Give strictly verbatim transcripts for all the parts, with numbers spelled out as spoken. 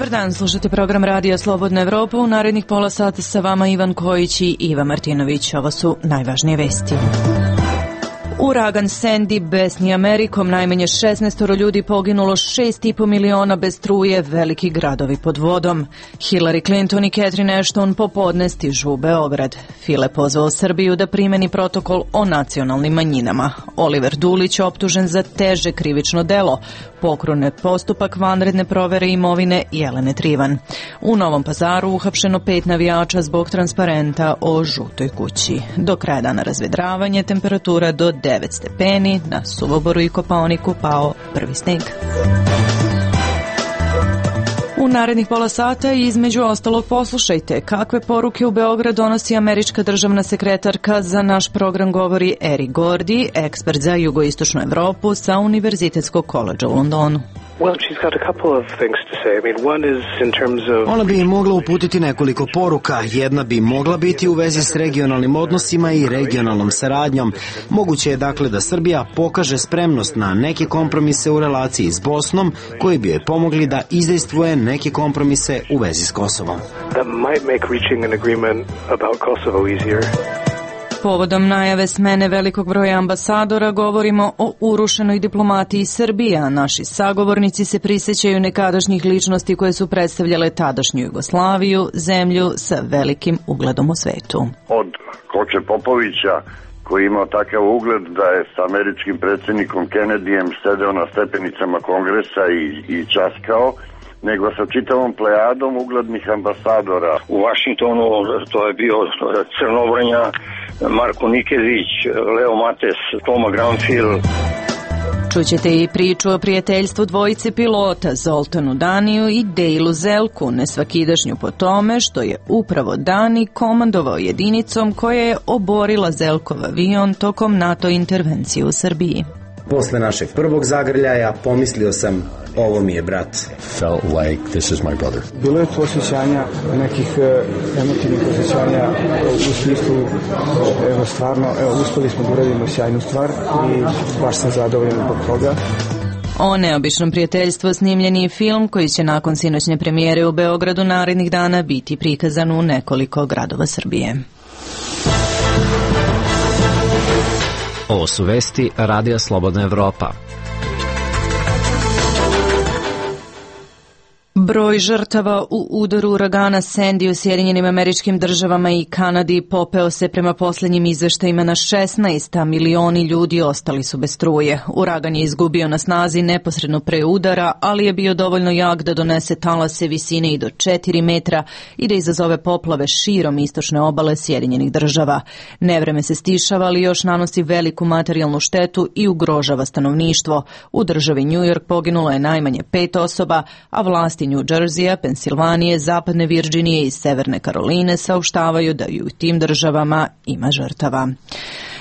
Dobar dan, slušate program Radija Slobodna Evropa. U narednih pola sata sa vama Ivan Kojić i Iva Martinović. Ovo su najvažnije vesti. Uragan Sandy besni Amerikom, najmanje šesnaestoro ljudi poginulo, šest i po miliona bez struje, veliki gradovi pod vodom. Hillary Clinton i Catherine Ashton popodne stižu u Beograd. File pozvao Srbiju da primeni protokol o nacionalnim manjinama. Oliver Dulić optužen za teže krivično delo. Pokrenut postupak vanredne provere imovine Jelene Trivan. U Novom Pazaru uhapšeno pet navijača zbog transparenta o žutoj kući. Do kraja dana razvedravanje, temperatura do devet stepeni, na Suvoboru i Kopaoniku pao prvi sneg. U narednih pola sata i između ostalog poslušajte kakve poruke u Beograd donosi američka državna sekretarka. Za naš program govori Eric Gordy, ekspert za jugoistočnu Evropu sa Univerzitetskog koledža u Londonu. Well, she's got a couple of things to say. I mean, one is in terms of... Ona bi mogla uputiti nekoliko poruka. Jedna bi mogla biti u vezi s regionalnim odnosima i regionalnom saradnjom. Moguće je dakle da Srbija pokaže spremnost na neke kompromise u relaciji s Bosnom, koji bi joj pomogli da izdejstvuje neke kompromise u vezi s Kosovom. That might make reaching an agreement about Kosovo easier. Povodom najave smene velikog broja ambasadora govorimo o urušenoj diplomatiji Srbije, a naši sagovornici se prisjećaju nekadašnjih ličnosti koje su predstavljale tadašnju Jugoslaviju, zemlju sa velikim ugledom u svetu. Od Koče Popovića, koji je imao takav ugled da je s američkim predsjednikom Kennedyjem sedeo na stepenicama Kongresa i, i časkao, nego sa čitavom plejadom uglednih ambasadora. U Vašingtonu to je bio Crnobrnja, Marko Nikezić, Leo Mates, Toma Granfil. Čućete i priču o prijateljstvu dvojice pilota, Zoltanu Daniju i Dejlu Zelku, nesvakidašnju po tome što je upravo Dani komandovao jedinicom koja je oborila Zelkov avion tokom NATO intervencije u Srbiji. Posle našeg prvog zagrljaja pomislio sam, ovo mi je brat. Felt like this is my brother. Bilo je to osjećanja, nekih uh, emotivnih osjećanja u smislu, evo stvarno, evo, uspeli smo da uradimo sjajnu stvar i baš sam zadovoljan zbog toga. O neobičnom prijateljstvu snimljen je film koji će nakon sinoćne premijere u Beogradu narednih dana biti prikazan u nekoliko gradova Srbije. Ovo su vesti Radija Slobodna Evropa. Broj žrtava u udaru uragana Sandy u Sjedinjenim Američkim Državama i Kanadi popeo se prema posljednjim izveštajima na šesnaest, a milioni ljudi ostali su bez struje. Uragan je izgubio na snazi neposredno pre udara, ali je bio dovoljno jak da donese talase visine i do četiri metra i da izazove poplave širom istočne obale Sjedinjenih Država. Nevreme se stišava, ali još nanosi veliku materijalnu štetu i ugrožava stanovništvo. U državi New York poginulo je najmanje pet osoba, a vlasti New Jersey, Pensilvanije, Zapadne Virđinije i Severne Karoline saopštavaju da i u tim državama ima žrtava.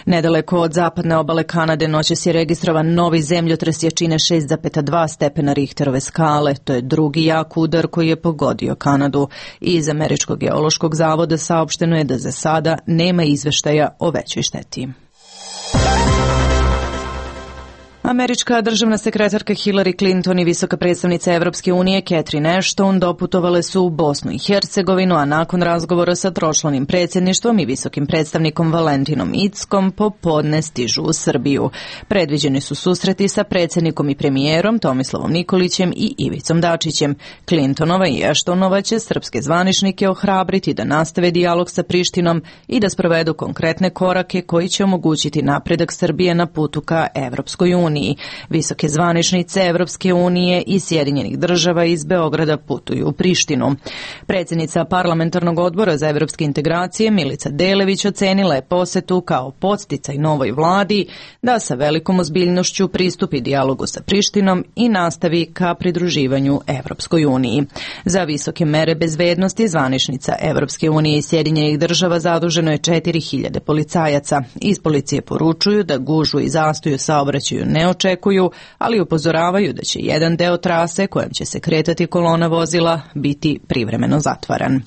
Nedaleko od zapadne obale Kanade noćas je registrovan novi zemljotres jačine šest zarez dva stepena Richterove skale. To je drugi jak udar koji je pogodio Kanadu. Iz Američkog geološkog zavoda saopšteno je da za sada nema izveštaja o većoj šteti. Američka državna sekretarka Hillary Clinton i visoka predstavnica Evropske unije Catherine Ashton doputovale su u Bosnu i Hercegovinu, a nakon razgovora sa tročlanim predsjedništvom i visokim predstavnikom Valentinom Inckom popodne stižu u Srbiju. Predviđeni su susreti sa predsjednikom i premijerom Tomislavom Nikolićem i Ivicom Dačićem. Clintonova i Ashtonova će srpske zvaničnike ohrabriti da nastave dijalog sa Prištinom i da sprovedu konkretne korake koji će omogućiti napredak Srbije na putu ka Evropskoj uniji. Visoke zvaničnice Evropske unije i Sjedinjenih Država iz Beograda putuju u Prištinu. Predsjednica parlamentarnog odbora za evropske integracije Milica Delević ocenila je posetu kao podsticaj novoj vladi da sa velikom ozbiljnošću pristupi dijalogu sa Prištinom i nastavi ka pridruživanju Evropskoj uniji. Za visoke mere bezbednosti zvaničnica Evropske unije i Sjedinjenih Država zaduženo je četiri hiljade policajaca. Iz policije poručuju da gužu i zastoju saobraćaju ne očekuju, ali upozoravaju da će jedan deo trase kojem će se kretati kolona vozila biti privremeno zatvaran.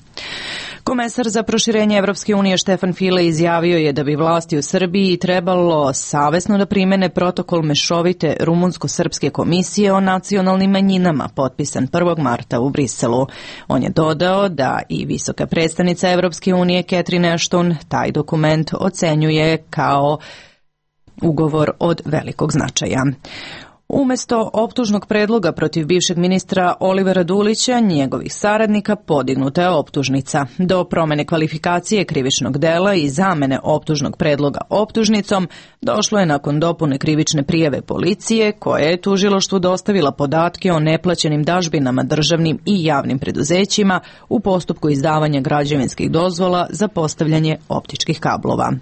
Komesar za proširenje Evropske unije Štefan File izjavio je da bi vlasti u Srbiji trebalo savesno da primene protokol mešovite rumunsko-srpske komisije o nacionalnim manjinama potpisan prvog marta u Briselu. On je dodao da i visoka predstavnica Evropske unije Catherine Ashton taj dokument ocenjuje kao ugovor od velikog značaja. Umesto optužnog predloga protiv bivšeg ministra Olivera Dulića, njegovih saradnika podignuta je optužnica. Do promene kvalifikacije krivičnog dela i zamene optužnog predloga optužnicom došlo je nakon dopune krivične prijave policije, koja je tužilaštvu dostavila podatke o neplaćenim dažbinama državnim i javnim preduzećima u postupku izdavanja građevinskih dozvola za postavljanje optičkih kablova.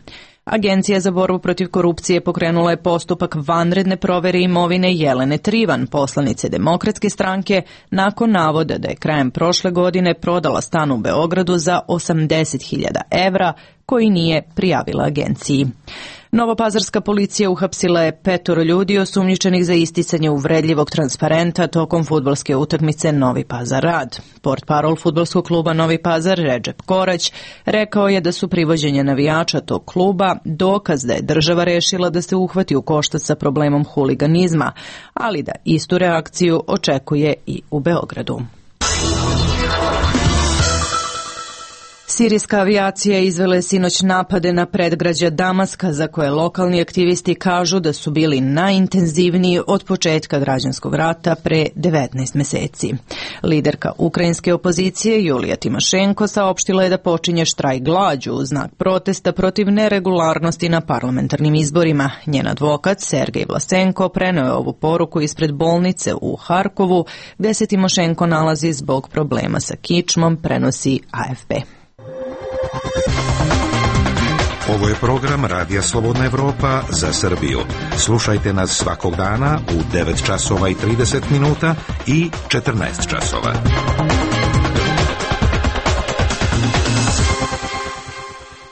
Agencija za borbu protiv korupcije pokrenula je postupak vanredne provere imovine Jelene Trivan, poslanice Demokratske stranke, nakon navoda da je krajem prošle godine prodala stan u Beogradu za osamdeset hiljada evra koji nije prijavila agenciji. Novopazarska policija uhapsila je petoro ljudi osumnjičenih za isticanje uvredljivog transparenta tokom fudbalske utakmice Novi Pazar-Rad. Portparol fudbalskog kluba Novi Pazar, Redžep Korać, rekao je da su privođenje navijača tog kluba dokaz da je država rešila da se uhvati u koštac sa problemom huliganizma, ali da istu reakciju očekuje i u Beogradu. Sirijska avijacija izvela je sinoć napade na predgrađa Damaska, za koje lokalni aktivisti kažu da su bili najintenzivniji od početka građanskog rata pre devetnaest meseci. Liderka ukrajinske opozicije Julija Timošenko saopštila je da počinje štrajk glađu u znak protesta protiv neregularnosti na parlamentarnim izborima. Njen advokat Sergej Vlasenko preneo je ovu poruku ispred bolnice u Harkovu, gde se Timošenko nalazi zbog problema sa kičmom, prenosi A F P. Ovo je program Radija Slobodna Evropa za Srbiju. Slušajte nas svakog dana u devet časova i trideset minuta i četrnaest časova.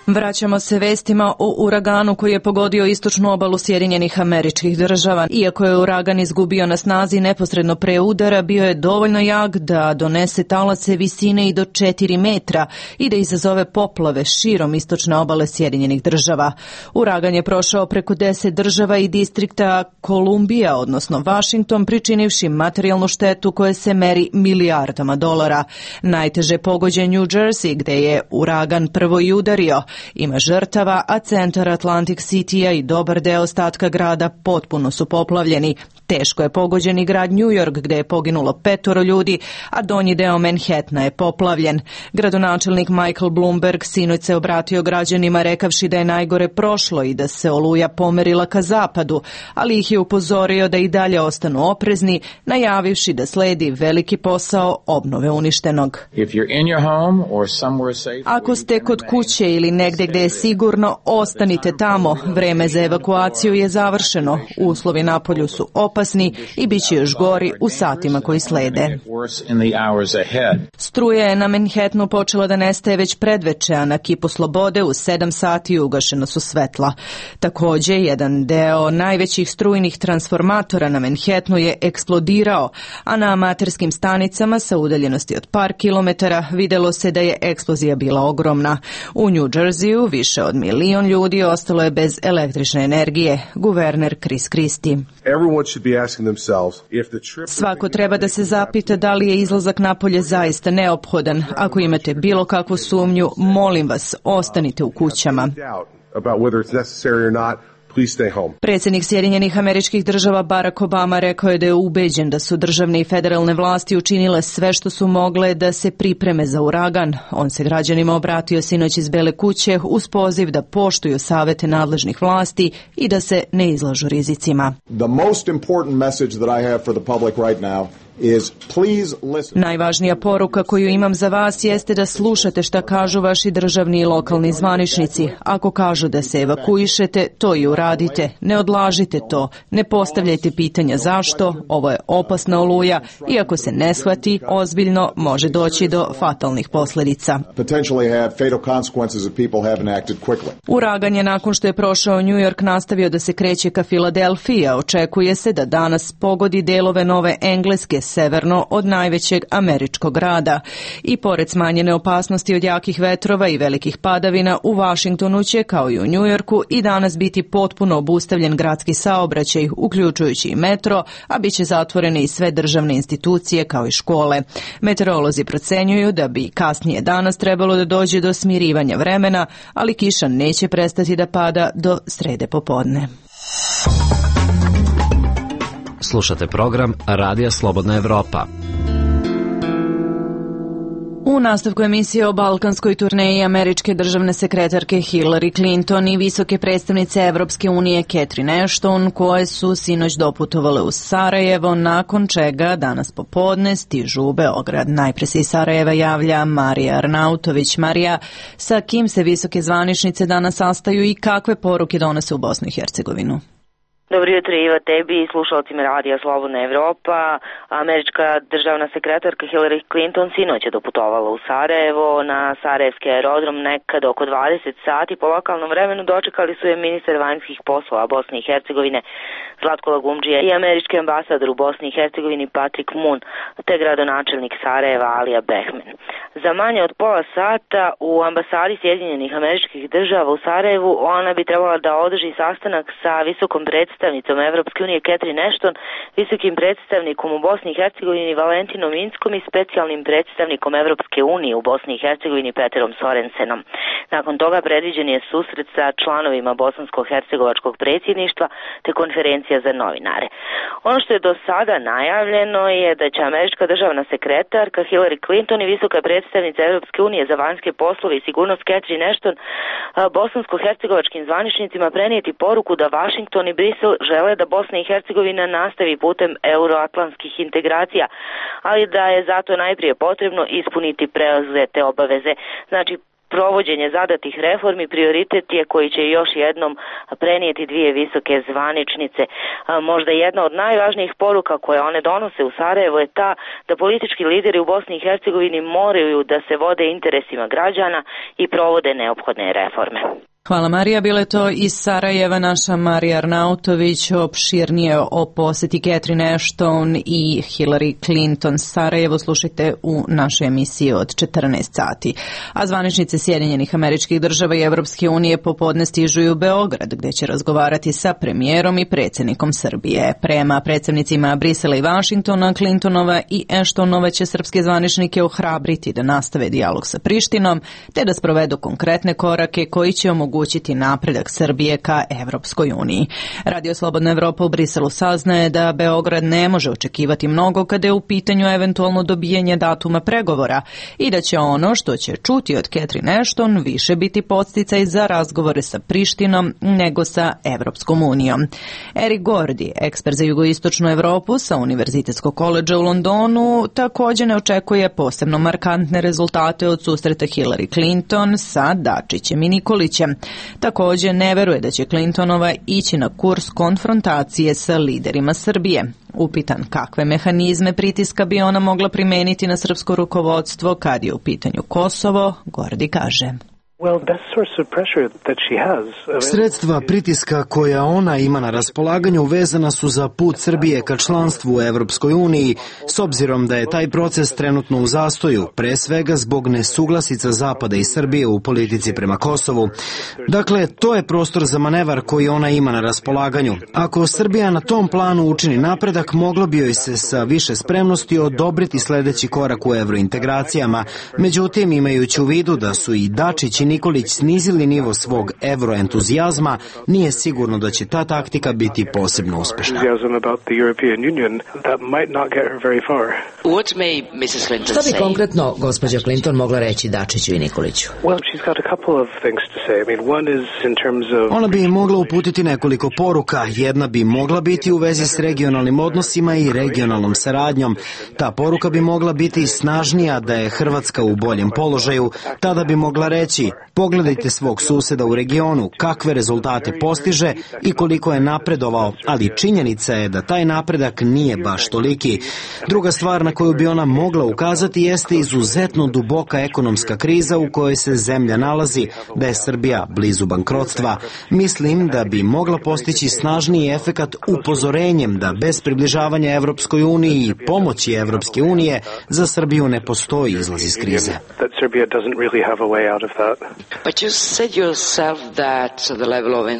Vraćamo se vestima o uraganu koji je pogodio istočnu obalu Sjedinjenih Američkih Država. Iako je uragan izgubio na snazi neposredno pre udara, bio je dovoljno jak da donese talace visine i do četiri metra i da izazove poplave širom istočne obale Sjedinjenih Država. Uragan je prošao preko deset država i distrikta Kolumbija, odnosno Vašington, pričinivši materijalnu štetu koja se meri milijardama dolara. Najteže pogođen New Jersey, gde je uragan prvo i udario. Ima žrtava, a centar Atlantic City-a i dobar deo ostatka grada potpuno su poplavljeni. Teško je pogođen i grad New York, gde je poginulo petoro ljudi, a donji deo Manhattana je poplavljen. Gradonačelnik Michael Bloomberg sinoć se obratio građanima rekavši da je najgore prošlo i da se oluja pomerila ka zapadu, ali ih je upozorio da i dalje ostanu oprezni, najavivši da sledi veliki posao obnove uništenog. Ako ste kod kuće ili negde gde je sigurno, ostanite tamo. Vreme za evakuaciju je završeno. Uslovi napolju su opasni i bit će još gori u satima koji slede. Struja je na Manhattanu počela da nestaje već predveče, a na Kipu Slobode u sedam sati ugašena su svetla. Takođe, jedan deo najvećih strujnih transformatora na Manhattanu je eksplodirao, a na amaterskim stanicama sa udaljenosti od par kilometara videlo se da je eksplozija bila ogromna. U New Jerseyu više od milion ljudi ostalo je bez električne energije, guverner Chris Christie. Svako treba da se zapita da li je izlazak napolje zaista neophodan. Ako imate bilo kakvu sumnju, molim vas, ostanite u kućama. Predsjednik Sjedinjenih Američkih Država Barack Obama rekao je da je ubeđen da su državne i federalne vlasti učinile sve što su mogle da se pripreme za uragan. On se građanima obratio sinoć iz Bele kuće uz poziv da poštuju savete nadležnih vlasti i da se ne izlažu rizicima. The most important message that I have for the public right now is please listen. Najvažnija poruka koju imam za vas jeste da slušate šta kažu vaši državni i lokalni zvaničnici. Ako kažu da se evakuišete, to i uradite. Ne odlažite to. Ne postavljajte pitanja zašto. Ovo je opasna oluja i ako se ne shvati ozbiljno, može doći do fatalnih posljedica. Uragan je nakon što je prošao New York nastavio da se kreće ka Filadelfiji, a očekuje se da danas pogodi delove Nove Engleske, severno od najvećeg američkog grada. I pored smanjene opasnosti od jakih vetrova i velikih padavina, u Vašingtonu će, kao i u Njujorku, i danas biti potpuno obustavljen gradski saobraćaj, uključujući i metro, a bit će zatvorene i sve državne institucije kao i škole. Meteorolozi procenjuju da bi kasnije danas trebalo da dođe do smirivanja vremena, ali kiša neće prestati da pada do srede popodne. Slušate program Radija Slobodna Evropa. U nastavku emisije o balkanskoj turneji američke državne sekretarke Hillary Clinton i visoke predstavnice Evropske unije Catherine Ashton, koje su sinoć doputovale u Sarajevo, nakon čega danas popodne stižu u Beograd. Najpre se iz Sarajeva javlja Marija Arnautović. Marija, sa kim se visoke zvaničnice danas sastaju i kakve poruke donose u Bosnu i Hercegovinu? Dobro jutro, Iva, tebi i slušalcima Radija Slobodna Evropa. Američka državna sekretarka Hillary Clinton sinoć je doputovala u Sarajevo na Sarajevski aerodrom nekad oko dvadeset sati. Po lokalnom vremenu dočekali su je ministar vanjskih poslova Bosne i Hercegovine Zlatko Lagumdžija i američki ambasador u Bosni i Hercegovini Patrick Moon, te gradonačelnik Sarajeva Alija Behmen. Za manje od pola sata u ambasadi Sjedinjenih Američkih Država u Sarajevu ona bi trebala da održi sastanak sa visokom predstavnicom Evropske unije Catherine Ashton, visokim predstavnikom u Bosni i Hercegovini Valentinom Inskom i specijalnim predstavnikom Evropske unije u Bosni i Hercegovini Peterom Sorensenom. Nakon toga predviđen je susret sa članovima bosansko-hercegovačkog predsjedništva te konferencija za novinare. Ono što je do sada najavljeno je da će američka državna sekretarka Hillary Clinton i visoka predstavnica Evropske unije za vanjske poslove i sigurnost Catherine Ashton bosansko-hercegovačkim zvaničnicima prenijeti poruku da Vašington i Brisel žele da Bosna i Hercegovina nastavi putem euroatlantskih integracija, ali da je zato najprije potrebno ispuniti preuzete obaveze. Znači, provođenje zadatih reformi prioritet je koji će još jednom prenijeti dvije visoke zvaničnice. Možda jedna od najvažnijih poruka koje one donose u Sarajevo je ta da politički lideri u Bosni i Hercegovini moraju da se vode interesima građana i provode neophodne reforme. Hvala Marija, bile to iz Sarajeva naša Marija Arnautović, opširnije o poseti Catherine Ashton i Hillary Clinton. Sarajevo slušajte u našoj emisiji od četrnaest sati. A zvaničnice Sjedinjenih Američkih Država i Evropske unije popodne stižu u Beograd, gde će razgovarati sa premijerom i predsjednikom Srbije. Prema predstavnicima Brisela i Vašingtona, Clintonova i Ashtonova će srpske zvaničnike ohrabriti da nastave dijalog sa Prištinom, te da sprovedu konkretne korake koji će omogućiti omogućiti napredak Srbije ka Evropskoj uniji. Radio Slobodna Evropa u Briselu saznaje da Beograd ne može očekivati mnogo kada je u pitanju eventualno dobijanje datuma pregovora i da će ono što će čuti od Catherine Ashton više biti podsticaj za razgovore sa Prištinom nego sa Evropskom unijom. Eric Gordy, ekspert za jugoistočnu Evropu sa Univerzitetskog koledža u Londonu, također ne očekuje posebno markantne rezultate od susreta Hillary Clinton sa Dačićem i Nikolićem. Također ne veruje da će Clintonova ići na kurs konfrontacije sa liderima Srbije. Upitan kakve mehanizme pritiska bi ona mogla primeniti na srpsko rukovodstvo kad je u pitanju Kosovo, Gordi kaže. Sredstva pritiska koja ona ima na raspolaganju vezana su za put Srbije ka članstvu u Evropskoj uniji, s obzirom da je taj proces trenutno u zastoju, pre svega zbog nesuglasica Zapada i Srbije u politici prema Kosovu. Dakle, to je prostor za manevar koji ona ima na raspolaganju. Ako Srbija na tom planu učini napredak, moglo bi joj se sa više spremnosti odobriti sledeći korak u evrointegracijama. Međutim, imajući u vidu da su i Dačić i Nikolić snizili nivo svog evroentuzijazma, nije sigurno da će ta taktika biti posebno uspešna. Šta bi konkretno gospođa Clinton mogla reći Dačiću i Nikoliću? Ona bi mogla uputiti nekoliko poruka. Jedna bi mogla biti u vezi s regionalnim odnosima i regionalnom saradnjom. Ta poruka bi mogla biti snažnija da je Hrvatska u boljem položaju. Tada bi mogla reći, Pogledajte svog suseda u regionu, kakve rezultate postiže i koliko je napredovao, ali činjenica je da taj napredak nije baš toliki. Druga stvar na koju bi ona mogla ukazati jeste izuzetno duboka ekonomska kriza u kojoj se zemlja nalazi, da je Srbija blizu bankrotstva. Mislim da bi mogla postići snažniji efekat upozorenjem da bez približavanja Evropskoj uniji i pomoći Evropske unije za Srbiju ne postoji izlaz iz krize.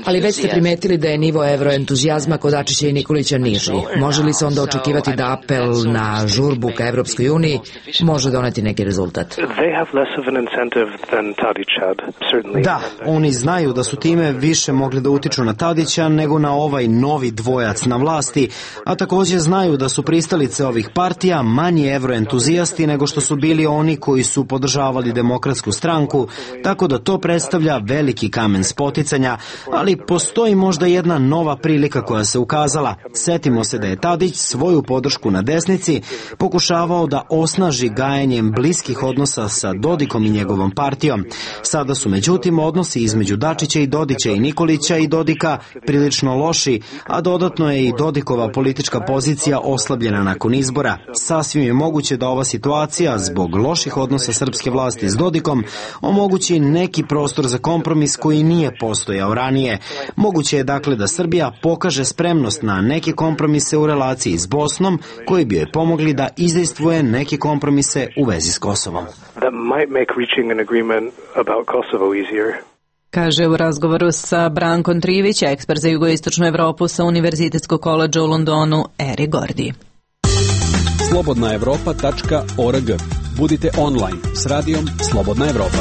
Ali već ste primetili da je nivo evroentuzijazma kod Dačića i Nikolića niži. Može li se onda očekivati da apel na žurbu ka Evropskoj uniji može doneti neki rezultat? Da, oni znaju da su time više mogli da utiču na Tadića nego na ovaj novi dvojac na vlasti, a također znaju da su pristalice ovih partija manji evroentuzijasti nego što su bili oni koji su podržavali Demokratsku stranku, tako da to predstavlja veliki kamen spoticanja, ali postoji možda jedna nova prilika koja se ukazala. Setimo se da je Tadić svoju podršku na desnici pokušavao da osnaži gajenjem bliskih odnosa sa Dodikom i njegovom partijom. Sada su međutim odnosi između Dačića i Dodića i Nikolića i Dodika prilično loši, a dodatno je i Dodikova politička pozicija oslabljena nakon izbora. Sasvim je moguće da ova situacija, zbog loših odnosa srpske vlasti s Dodikom, omogući neki prostor za kompromis koji nije postojao ranije. Moguće je dakle da Srbija pokaže spremnost na neke kompromise u relaciji s Bosnom, koji bi joj pomogli da izdejstvuje neke kompromise u vezi s Kosovom. Kaže u razgovoru sa Brankom Trivić, ekspert za jugoistočnu Evropu sa Univerzitetskog koledža u Londonu, Eri Gordi. slobodna evropa tačka org. Budite online s radijom Slobodna Evropa.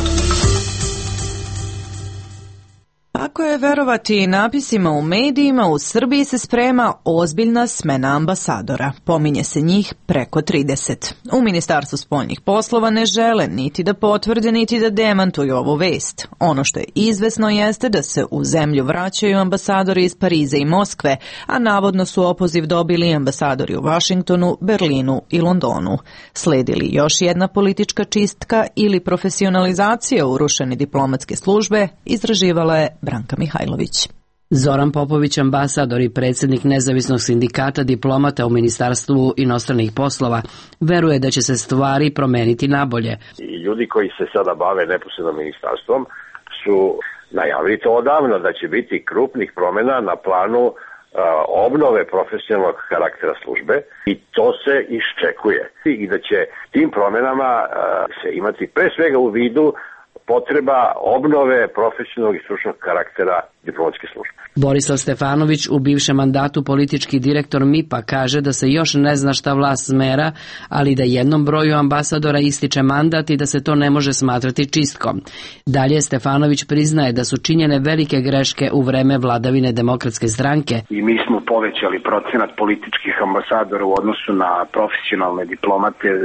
Ako je verovati napisima u medijima, u Srbiji se sprema ozbiljna smena ambasadora. Pominje se njih preko trideset. U Ministarstvu spoljnih poslova ne žele niti da potvrde, niti da demantuju ovu vest. Ono što je izvesno jeste da se u zemlju vraćaju ambasadori iz Pariza i Moskve, a navodno su opoziv dobili ambasadori u Vašingtonu, Berlinu i Londonu. Sledi li još jedna politička čistka ili profesionalizacija urušene diplomatske službe, izraživala je Branka Mihajlović. Zoran Popović, ambasador i predsjednik nezavisnog sindikata diplomata u Ministarstvu inostranih poslova, veruje da će se stvari promeniti nabolje. I ljudi koji se sada bave neposredno ministarstvom su najavili to odavno, da će biti krupnih promjena na planu uh, obnove profesionalnog karaktera službe i to se iščekuje. I da će tim promjenama uh, se imati pre svega u vidu potreba obnove profesionalnog i stručnog karaktera diplomatske službe. Borislav Stefanović, u bivšem mandatu politički direktor M I P-a, kaže da se još ne zna šta vlast smera, ali da jednom broju ambasadora ističe mandat i da se to ne može smatrati čistkom. Dalje Stefanović priznaje da su činjene velike greške u vreme vladavine Demokratske stranke. I mi smo povećali procenat političkih ambasadora u odnosu na profesionalne diplomate e,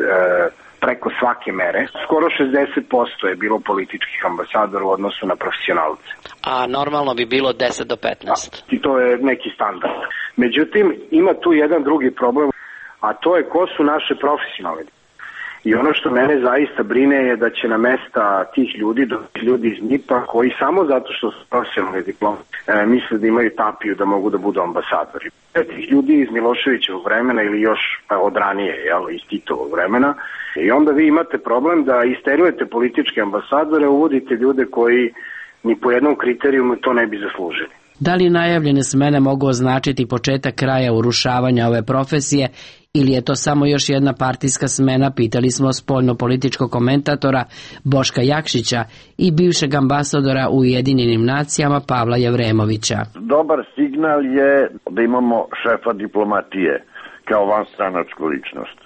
preko svake mere. Skoro šezdeset posto je bilo političkih ambasadora u odnosu na profesionalce. A normalno bi bilo deset do petnaest. Da, i to je neki standard. Međutim, ima tu jedan drugi problem, a to je ko su naše profesionalne. I ono što mene zaista brine je da će na mesta tih ljudi, ljudi iz M I P-a, koji samo zato što su profesionalni diplomati, e, misle da imaju tapiju da mogu da budu ambasadori. Tih ljudi iz Miloševićevog vremena ili još od ranije, jel, iz Titovog vremena. I onda vi imate problem da isterujete političke ambasadore, uvodite ljude koji ni po jednom kriterijumu to ne bi zaslužili. Da li najavljene smene mogu označiti početak kraja urušavanja ove profesije ili je to samo još jedna partijska smena, pitali smo spoljno-političkog komentatora Boška Jakšića i bivšeg ambasadora u Ujedinjenim nacijama Pavla Jevremovića. Dobar signal je da imamo šefa diplomatije kao vanstranačku ličnost.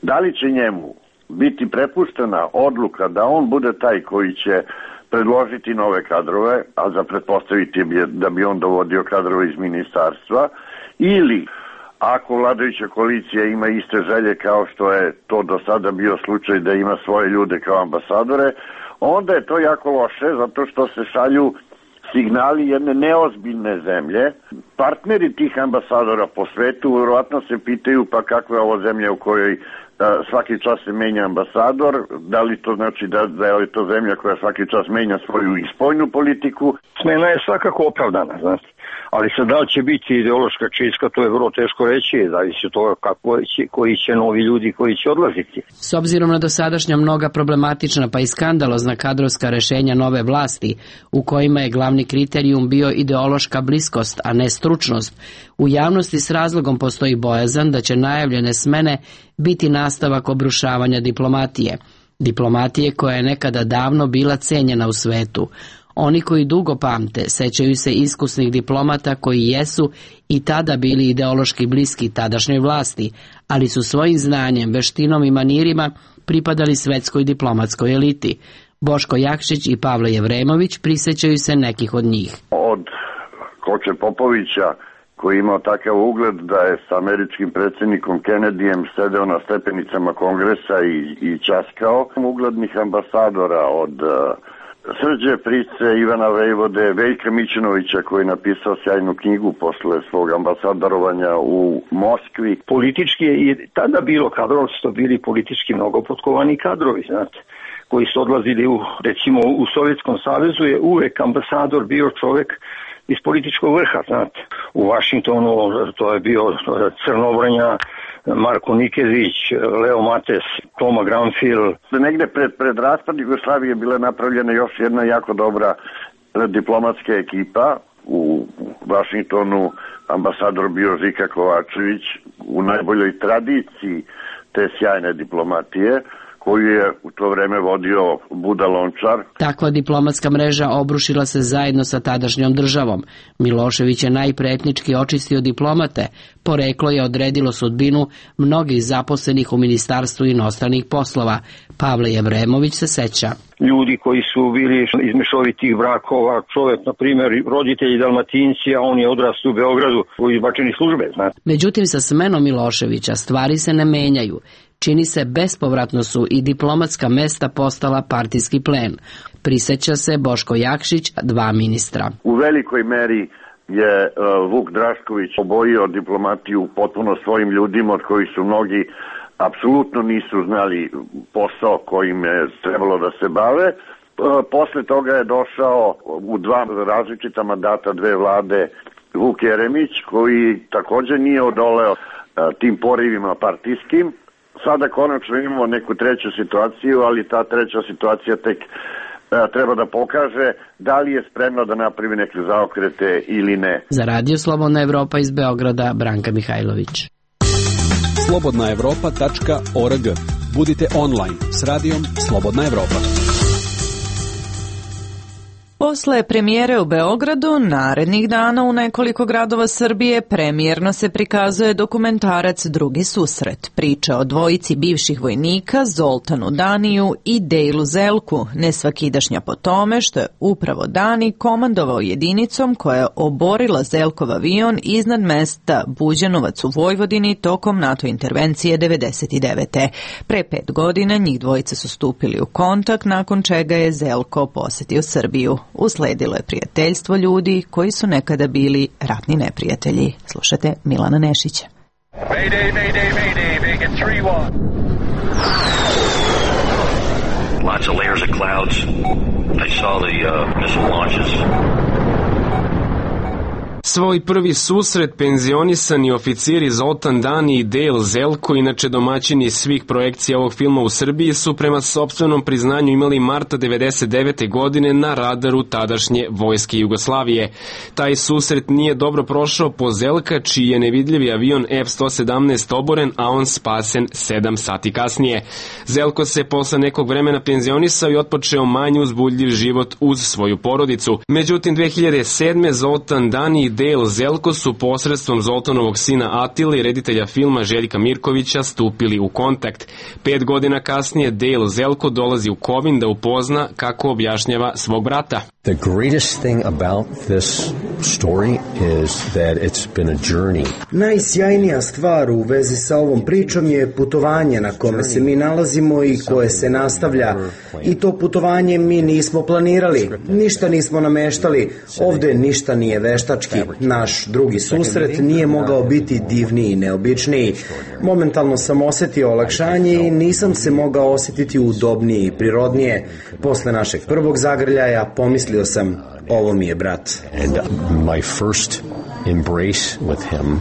Da li će njemu biti prepuštena odluka da on bude taj koji će predložiti nove kadrove, a za pretpostaviti je da bi on dovodio kadrove iz ministarstva, ili ako vladajuća koalicija ima iste želje kao što je to do sada bio slučaj da ima svoje ljude kao ambasadore, onda je to jako loše zato što se šalju signali jedne neozbiljne zemlje. Partneri tih ambasadora po svetu vjerojatno se pitaju pa kakva je ovo zemlja u kojoj svaki čas se menja ambasador, da li to znači da, da je li to zemlja koja svaki čas menja svoju i spoljnu politiku? Smena je svakako opravdana, znači. Ali sad da li će biti ideološka čistka, to je vrlo teško reći, zavisi od toga kako će, koji će novi ljudi koji će odlaziti. S obzirom na dosadašnja mnoga problematična pa i skandalozna kadrovska rešenja nove vlasti, u kojima je glavni kriterijum bio ideološka bliskost, a ne stručnost, u javnosti s razlogom postoji bojazan da će najavljene smene biti nastavak obrušavanja diplomatije. Diplomatije koja je nekada davno bila cenjena u svetu. Oni koji dugo pamte sećaju se iskusnih diplomata koji jesu i tada bili ideološki bliski tadašnjoj vlasti, ali su svojim znanjem, veštinom i manirima pripadali svetskoj diplomatskoj eliti. Boško Jakšić i Pavle Jevremović prisećaju se nekih od njih. Od Koče Popovića, koji je imao takav ugled da je sa američkim predsjednikom Kennedyjem sedeo na stepenicama kongresa i, i časkao, uglednih ambasadora od Srđe Price, Ivana Vejvode, Veljka Mićunovića koji je napisao sjajnu knjigu posle svog ambasadorovanja u Moskvi. Politički je i tada bilo kadrov, su to bili politički mnogo potkovani kadrovi, znate, koji su odlazili u, recimo u Sovjetskom savezu je uvek ambasador bio čovek iz političkog vrha, znate. U Vašingtonu to je bio Crnobranja, Marko Nikezić, Leo Mates, Toma Granfil. Negde pred, pred raspad Jugoslavije je bila napravljena još jedna jako dobra diplomatska ekipa. U Vašingtonu ambasador bio Žika Kovačević u najboljoj tradiciji te sjajne diplomatije, koju je u to vreme vodio Buda Lončar. Takva diplomatska mreža obrušila se zajedno sa tadašnjom državom. Milošević je najpreetnički očistio diplomate, poreklo je odredilo sudbinu mnogih zaposlenih u Ministarstvu inostranih poslova. Pavle Jevremović se seća. Ljudi koji su bili iz mešovitih brakova, čovjek, na primjer, roditelji Dalmatinci, a on je odrastao u Beogradu u izbačeni službe, znate. Međutim, sa smenom Miloševića stvari se ne menjaju. Čini se bespovratno su i diplomatska mesta postala partijski plen. Priseća se Boško Jakšić, dva ministra. U velikoj meri je uh, Vuk Drašković obojio diplomatiju potpuno svojim ljudima od kojih su mnogi apsolutno nisu znali posao kojim je trebalo da se bave. Uh, posle toga je došao u dva različita mandata dve vlade Vuk Jeremić, koji također nije odoleo uh, tim porivima partijskim. Sada konačno imamo neku treću situaciju, ali ta treća situacija tek e, treba da pokaže da li je spremno da napravi neke zaokrete ili ne. Za Radio Slobodna Evropa iz Beograda, Branka Mihajlović. slobodna evropa tačka org. Budite online s radijom Slobodna Evropa. Posle premijere u Beogradu, narednih dana u nekoliko gradova Srbije premijerno se prikazuje dokumentarac Drugi susret. Priča o dvojici bivših vojnika, Zoltanu Daniju i Dejlu Zelku, nesvakidašnja po tome što je upravo Dani komandovao jedinicom koja je oborila Zelkov avion iznad mesta Buđanovac u Vojvodini tokom NATO intervencije devedeset devete. Pre pet godina njih dvojica su stupili u kontakt, nakon čega je Zelko posetio Srbiju. Usledilo je prijateljstvo ljudi koji su nekada bili ratni neprijatelji. Slušate Milana Nešića. Mayday, mayday, mayday, Vegas tri jedan. Lots of layers of clouds. I saw the uh, missile launches. Svoj prvi susret penzionisani oficiri Zoltan Dani i Dejl Zelko, inače domaćini svih projekcija ovog filma u Srbiji, su prema sopstvenom priznanju imali marta devedeset devete godine na radaru tadašnje vojske Jugoslavije. Taj susret nije dobro prošao po Zelka, čiji je nevidljivi avion F sto sedamnaest oboren, a on spasen sedam sati kasnije. Zelko se posle nekog vremena penzionisao i otpočeo manje uzbudljiv život uz svoju porodicu. Međutim, dve hiljade sedme. Zoltan Dani i Dejl Zelko su posredstvom Zoltanovog sina Atile i reditelja filma Željka Mirkovića stupili u kontakt. Pet godina kasnije Dejl Zelko dolazi u Kovin da upozna kako objašnjava svog brata. The greatest thing about this story is that it's been a journey. Najsjajnija stvar u vezi sa ovom pričom je putovanje na kome se mi nalazimo i koje se nastavlja. I to putovanje mi nismo planirali, ništa nismo nameštali, ovde ništa nije veštački. Naš drugi susret nije mogao biti divniji i neobičniji. Momentalno sam osetio olakšanje i nisam se mogao osetiti udobnije i prirodnije. Posle našeg prvog zagrljaja pomislio sam, ovo mi je brat. And my first embrace with him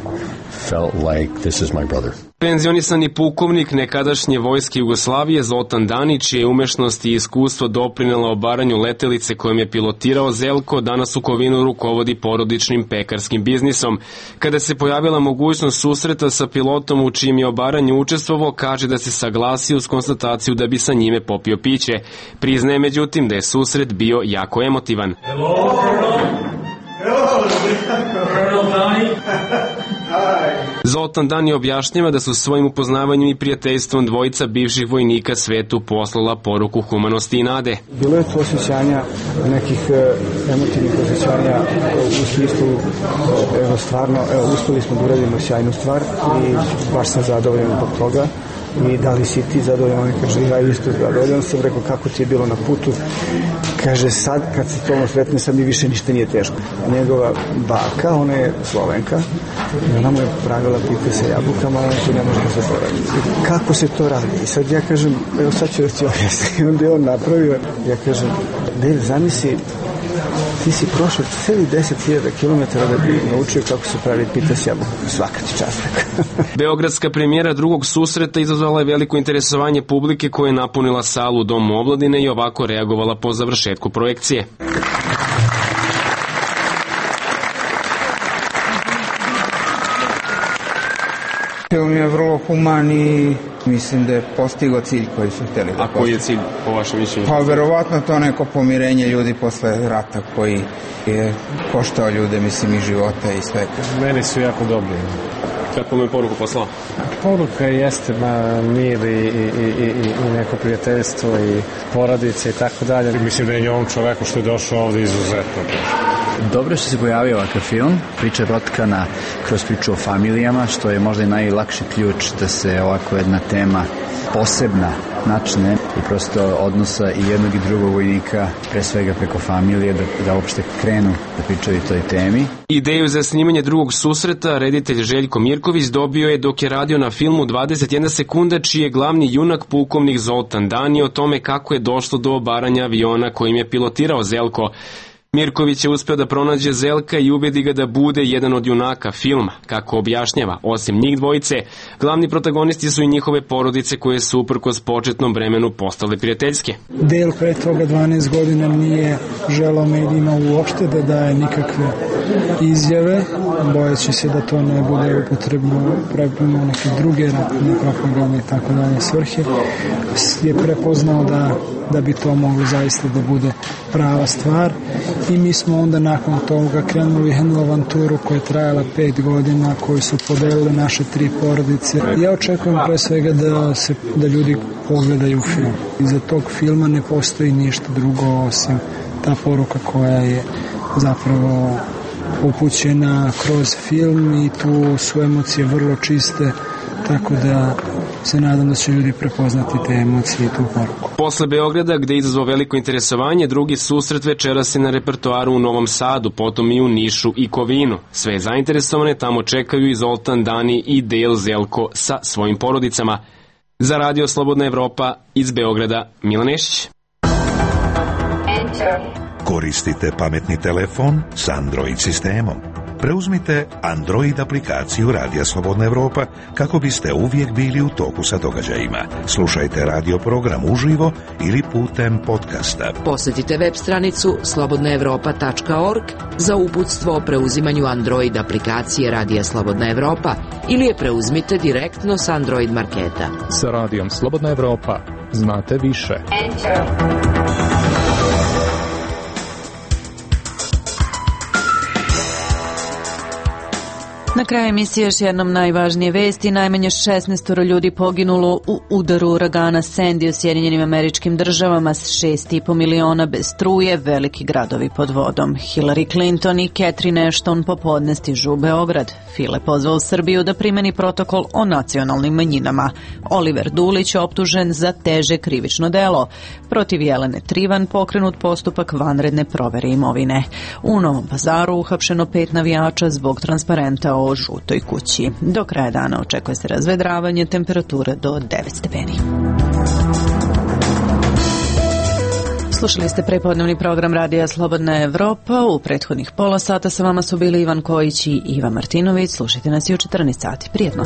felt like this is my brother. Penzionisani pukovnik nekadašnje vojske Jugoslavije Zoltan Danić, čije umešnost i iskustvo doprinela obaranju letelice kojom je pilotirao Zelko, danas u Kovinu rukovodi porodičnim pekarskim biznisom. Kada se pojavila mogućnost susreta sa pilotom u čijem je obaranju učestvovao, kaže da se saglasio uz konstataciju da bi sa njime popio piće. Priznaje međutim da je susret bio jako emotivan. Hello, Hello, Colonel Donnie. Zoltan Dani objašnjava da su svojim upoznavanjem i prijateljstvom dvojica bivših vojnika svetu poslala poruku humanosti i nade. Bilo je to osjećanja, nekih emotivnih osjećanja u smislu, evo stvarno, evo uspeli smo da uradimo sjajnu stvar i baš sam zadovoljan zbog toga. I da li si ti zadovoljan? On kaže, ja isto zadovoljan sam. Rekao, kako ti je bilo na putu? Kaže, sad kad se to sretne, sad mi više ništa nije teško. Njegova baka, ona je Slovenka, i ona mu je pravila pite sa jabukama, ali to ne može da se poravi. Kako se to radi? I sad ja kažem, evo sad ću da ti objasniti. I onda je on napravio, ja kažem, Dave, zamisli, ti si prošao celi deset hiljada kilometara da bi naučio kako se pravi pita s jabukom. Svaka ti čast. Beogradska premijera drugog susreta izazvala je veliko interesovanje publike koja je napunila salu u Domu omladine i ovako reagovala po završetku projekcije. Film je vrlo human i mislim da je postigao cilj koji su htjeli da postigao. A koji je cilj po vašem mišljenju? Pa verovatno to neko pomirenje ljudi posle rata koji je koštao ljude, mislim, i života i sve. Meni su jako dobri. Kako mu je poruku poslao? Poruka jeste ma, mir i, i, i, i neko prijateljstvo i porodice i tako dalje. Mislim da je ovom čoveku što je došao ovde izuzetno. Dobro što se pojavio ovakav film. Priča je protkana kroz priču o familijama, što je možda i najlakši ključ da se ovako jedna tema posebna načne i prosto odnosa i jednog i drugog vojnika, pre svega preko familije, da, da uopšte krenu da pričaju o toj temi. Ideju za snimanje drugog susreta reditelj Željko Mirković dobio je dok je radio na filmu dvadeset jedna sekunda, čiji je glavni junak pukovnik Zoltan Dani, o tome kako je došlo do obaranja aviona kojim je pilotirao Zelko. Mirković je uspeo da pronađe Zelka i ubedi ga da bude jedan od junaka filma. Kako objašnjava, osim njih dvojice, glavni protagonisti su i njihove porodice koje su uprkos početnom vremenu postale prijateljske. Dale pre toga dvanaest godina nije želao medijima uopšte da daje nikakve izjave, bojeći se da to ne bude upotrebno prema neke druge ratne propagande i tako dalje svrhe. Je prepoznao da, da bi to moglo zaista da bude prava stvar. I mi smo onda nakon toga krenuli jednu avanturu koja je trajala pet godina, koju su podelile naše tri porodice. Ja očekujem pre svega da, se, da ljudi pogledaju film. Iza tog filma ne postoji ništa drugo osim ta poruka koja je zapravo upućena kroz film i tu su emocije vrlo čiste, tako da se nadam da će ljudi prepoznati te emocije i tu poruku. Posle Beograda, gde je izazvao veliko interesovanje, drugi susret večeras je na repertoaru u Novom Sadu, potom i u Nišu i Kovinu. Sve zainteresovane tamo čekaju i Zoltan Dani i Dale Zelko sa svojim porodicama. Za Radio Slobodna Evropa iz Beograda, Milan Nešić. Koristite pametni telefon s Android sistemom. Preuzmite Android aplikaciju Radija Slobodna Evropa kako biste uvijek bili u toku sa događajima. Slušajte radio program uživo ili putem podcasta. Posjetite web stranicu slobodna evropa tačka org za uputstvo o preuzimanju Android aplikacije Radija Slobodna Evropa ili je preuzmite direktno s Android marketa. Sa Radijom Slobodna Evropa znate više. Enter. Na kraju emisije još jednom najvažnije vesti. Najmanje šesnaest ljudi poginulo u udaru uragana Sandy u Sjedinjenim Američkim Državama, s šest i po miliona bez struje, veliki gradovi pod vodom. Hillary Clinton i Catherine Ashton popodne stižu u Beograd. File pozvao Srbiju da primeni protokol o nacionalnim manjinama. Oliver Dulić optužen za teže krivično delo. Protiv Jelene Trivan pokrenut postupak vanredne provere imovine. U Novom Pazaru uhapšeno pet navijača zbog transparenta o žutoj kući. Do kraja dana očekuje se razvedravanje, temperature do devet stepeni. Slušali ste prepodnevni program Radija Slobodna Evropa. U prethodnih pola sata sa vama su bili Ivan Kojić i Iva Martinović. Slušajte nas i u četrnaest sati. Prijetno.